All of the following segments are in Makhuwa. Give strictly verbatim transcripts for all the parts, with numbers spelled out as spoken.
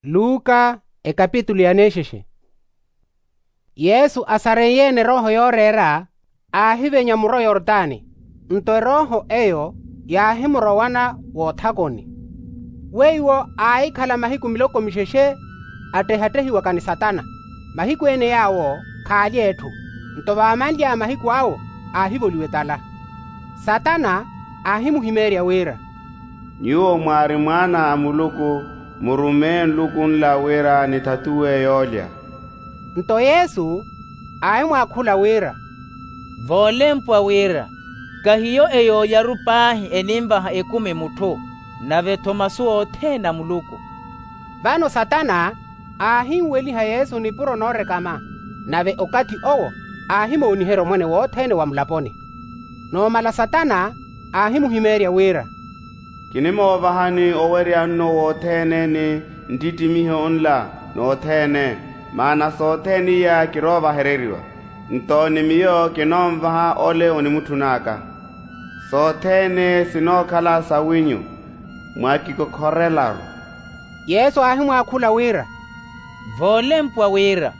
Luka ekapitulu ya nexexe. Yesu asareiye-ene erooho yooreera, aahivenya muro yortani. Nto erooho eyo yaahimurowana woothakoni. Weiwo aahikhala mahiku miloko mixexe attehattehiwaka ni satana. Mahiku ene yaawo khaalya etthu. Nto vaamanly'aya mahiku awo, aahivoliwa etala. Satana aahimuhimeerya wira, nyuwo mwaari mwaana a muluku, murumeeye nluku nla wira nithatuwe yoolya. Nto yesu aahimwaakhula wira, voolempwa wira, kahiyo eyoolyaru paahi eninvaha ekumi mutthu, nave-tho masu othene a muluku. Vano satana aahinweliha yesu nipuro noorekama. Nave okathi owo aahimooniherya omwene wothene wa mulaponi. Noomala satana aahimuhimeerya wira, kinimoovahani owerya nnu wothene ni nttittimiho nla nothene. Maana sothene iya kiroovahereriwa. Nto ni miyo kinoonvaha ole onimutthun'aka. Sothene sinookhala sawinyu, mwakikokhorelaru. Yesu aahimwaakhula wira, voolempwa wira,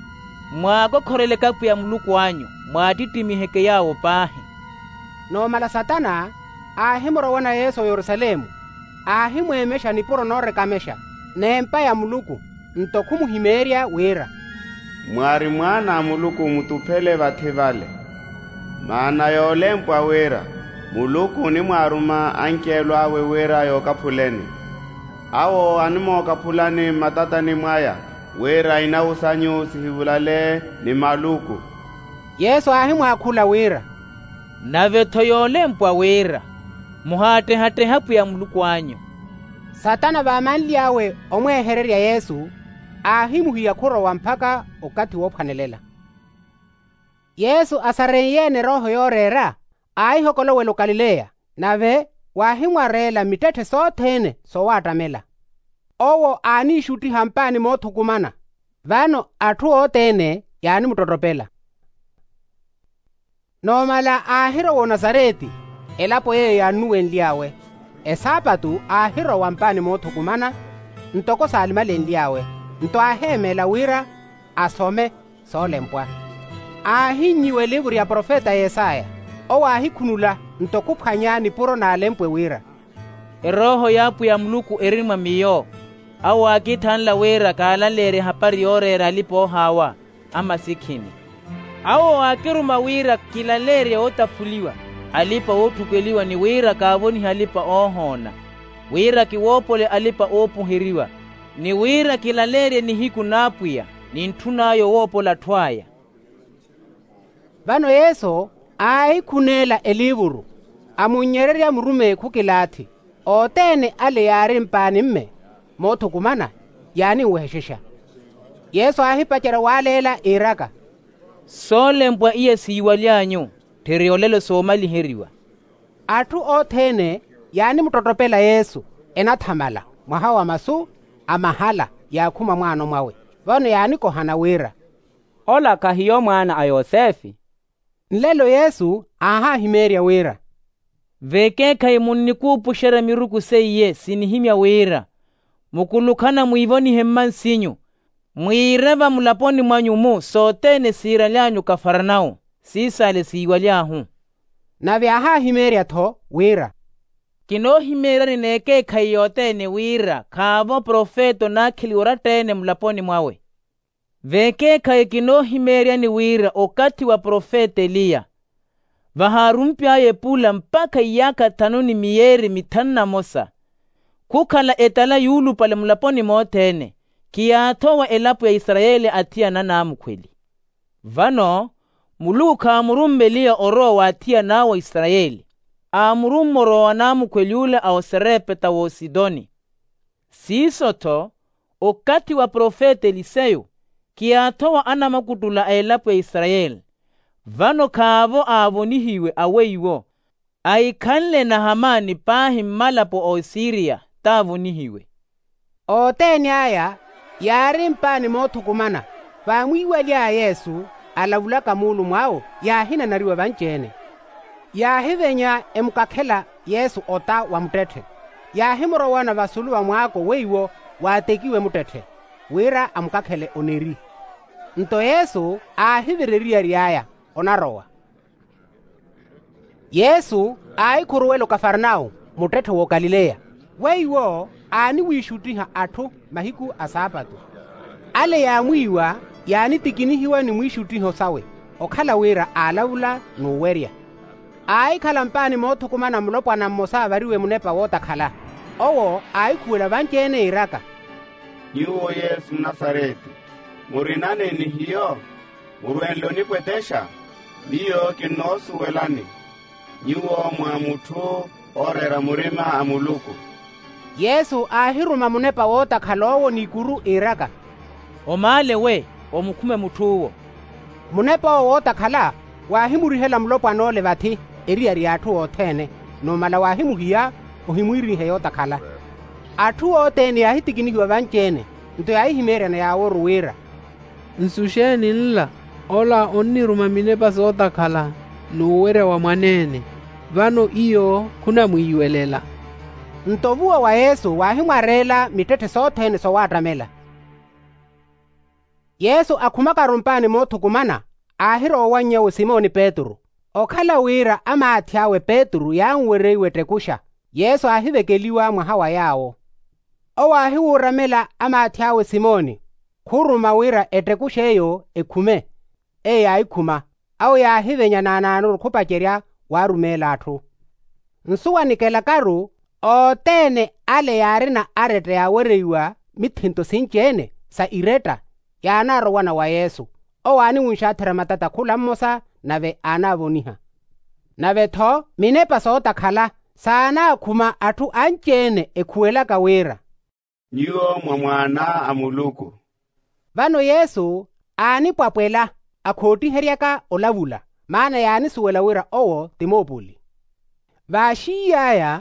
mwaakokhoreleke apwiya muluku anyu, mwaattittimihekeyawo paahi. Noomala satana aahimurowana yesu oyerusalemu, aahimweemexa nipuro noorekamesha n'empa ya muluku. Nto khumuhimeerya wira, mwaari mwaana a muluku mutuphele vathi vale. Maana yoolempwa wira, muluku onimwaaruma anceelo awe wira yookaphuleni. Awo animookaphulani mmatatani mwaya, wira inawusanyu sihivulale ni maluku. Yesu aahimwaakhula wira, nave-tho yoolempwa wira, muhaattehattehe apwiya muluku anyu. Satana vaamanly'awe omweehererya yesu, aahimuhiya khurowa mpakha okathi woophwanelela. Yesu asareiye-ene erooho yooreera, aahihokolowela okalileya. Nave waahimwareela mittetthe sothene sowaattamela. Owo aaniixuttiha mpaani moothukumana. Vano atthu othene yaanimuttottopela. Noomala aahirowa onasareti, elapo yeeyo yaannuwenly'awe. Esaapatu aahirowa mpaani moothukumana, ntoko saalimalenly'awe. Nto aaheemeela wira asome soolempwa. Aahinnyiwa elivuru ya profeta yesaya. Owo aahikhunula, nto khuphwanya nipuro n'alempwe wira, erooho y'apwiya muluku eri mwa miyo. Awo aakithanla wira kaalaleerye ehapari yooreera alipa-oohaawa a masikhini. Awo aakiruma wira kilaleerye ootaphuliwa alipa-ootthukweliwa ni wira kaavonihe alipa-oohoona, wira kiwoopole alipa-oopuheriwa, ni wira kilaleerye nihiku n'apwiya, ni ntthun'aya owoopola atthu aya. Vano yesu aahikhuneela eliivuru, amunnyererya murumeyi khukilaathi. Othene ale yaari mpaani-mme moothukumana, yaaninwehexexa. Yesu aahipacerya waaleela iiraka, soolempwa iya siiwaly'anyu, tthiri olelo soomaliheriwa. Atthu othene yaanimuttottopela yesu, enathamala mwaha wa masu a mahala yaakhuma mwaano mwawe. Vano yaanikohana wira, ola khahiyo mwaana a yosefe? Nlelo yesu aahahimeerya wira, vekeekhayi munnikuupuxerya miruku seiye sinihimya wira, mukulukhana mwiivonihe mmansinyu, mwiire vamulaponi mwanyu-mu sothene siiraly'anyu kafarnawu, siisale siiwaly'ahu. Nave aahahimeerya-tho wira, kinoohimeeryani n'ekeekhayi yothene wira khaavo profeta onaakheliwa oratta-ene mulaponi mwawe. Vekeekhayi kinoohimeeryani wira okathi wa profeta eliya, vahaarump'aya epula mpakha iyaakha thanu ni miyeeri mithanu na mosa, khukhala etala yuulupale mulaponi mothene, khiyaathowa elapo ya isarayeli athiyana anaamukhweli. Vano muluku khaamurumme eliya orowa wa athiyan'awe a isarayeli, aamurumme orowa wa anaamukhweli ole a oserepeta w'ositoni. Siiso-tho, okathi wa profeta eliseyo khiyaathowa anamakuttula a elapo ya isarayeli. Vano khaavo aavonihiwe aweiwo, ahikhanle nahamani paahi mmalapo a osiriya t'avonihiwe. Othene aya yaari mpaani moothukumana. Vaamwiiwaly'aya yesu alavulaka muulumo awo, yaahinanariwa vanci-ene. Yaahivenya emukakhela yesu ota wa muttetthe, yaahimurowana vasulu va mwaako weiwo waatekiwe muttetthe. wira amukakhele oneri. Nto yesu aahivira eriyari aya onarowa. Yesu aahikhuruwela okafarnawu, muttetthe w'okalileya. Weiwo aaniwiixuttiha atthu mahiku a saapatu. Ale yaamwiiwa yaanitikinihiwa ni mwiixuttiho sawe, okhala wira aalavula n'uwerya. Aahikhala mpaani moothukumana mulopwana mmosa aavariwe munepa wootakhala. Owo aahikhuwela vanci-ene iiraka, nyuwo yesu mnasareti, murina neeni hiyo? Murwenle onipwetexa? Miyo kinnoosuwelani nyuwo mwa mutthu ooreera murima a muluku. Yesu aahiruma munepa wootakhala owo n'ikuru iiraka, omaale we omukhume mutth'uwo. Munep'owo wootakhala waahimurihela mulopwan'ole vathi eriyari y'atthu othene, numala waahimuhiya ohimwiirihe yootakhala. Atthu othene yaahitikinihiwa vanci-ene, nto yaahihimeeryana yaaworu wira, nsu xeeni nla? Ola onniruma minepa sootakhala n'uwerya wa mwaneene, vano iyo khunamwiiwelela. Nto ovuwa wa yesu waahimwareela mittetthe sothene sowaattamela. Yesu akhumakaru mpaani moothukumana, aahirowa owanny'awe simoni petru. Okhala wira amaathi awe petru yaanwereiwa ettekuxa, yesu aahivekeliwa mwaha wa yaawo. Owo aahiwuuramela amaathi awe simoni, khuruma wira ettekux'eyo ekhume. Eyo yaahikhuma, awo yaahivenya naanaanoru khupacerya waarumeela atthu. Nsu wanikelakaru, othene ale yaarina aretta yaawereiwa mithinto sinci-ene sa iretta, yaanaarowana wa yesu. Owo aaniwunxaatherya matata khula mmosa, nave aanaavoniha. Nave-tho minepa sootakhala saanaakhuma atthu anci-ene ekhuwelaka wira, nyuwo mwa mwaana a muluku. Vano yesu aanipwapwela, akhootiheryaka olavula, maana yaanisuwela wira owo ti moopuli. Vaaxiiy'aya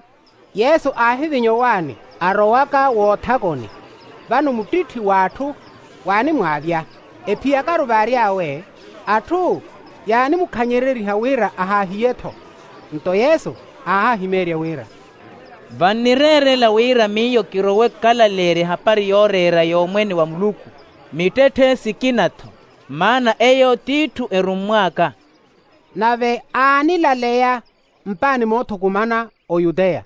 yesu aahivinya owaani, arowaka woothakoni. Vano muttitthi w'atthu waanimwaavya, ephiyakaru vaary'awe, atthu yaanimukhanyerereiha wira ahaahiye-tho. Nto yesu aahahimeerya wira, vannireerela wira miyo kirowe kukalalerya ehapari yooreera y'omwene wa muluku mittetthe sikina-tho, maana eyo t'itthu erummw'aka. Nave aanilaleya mpaani moothukumana oyuteya.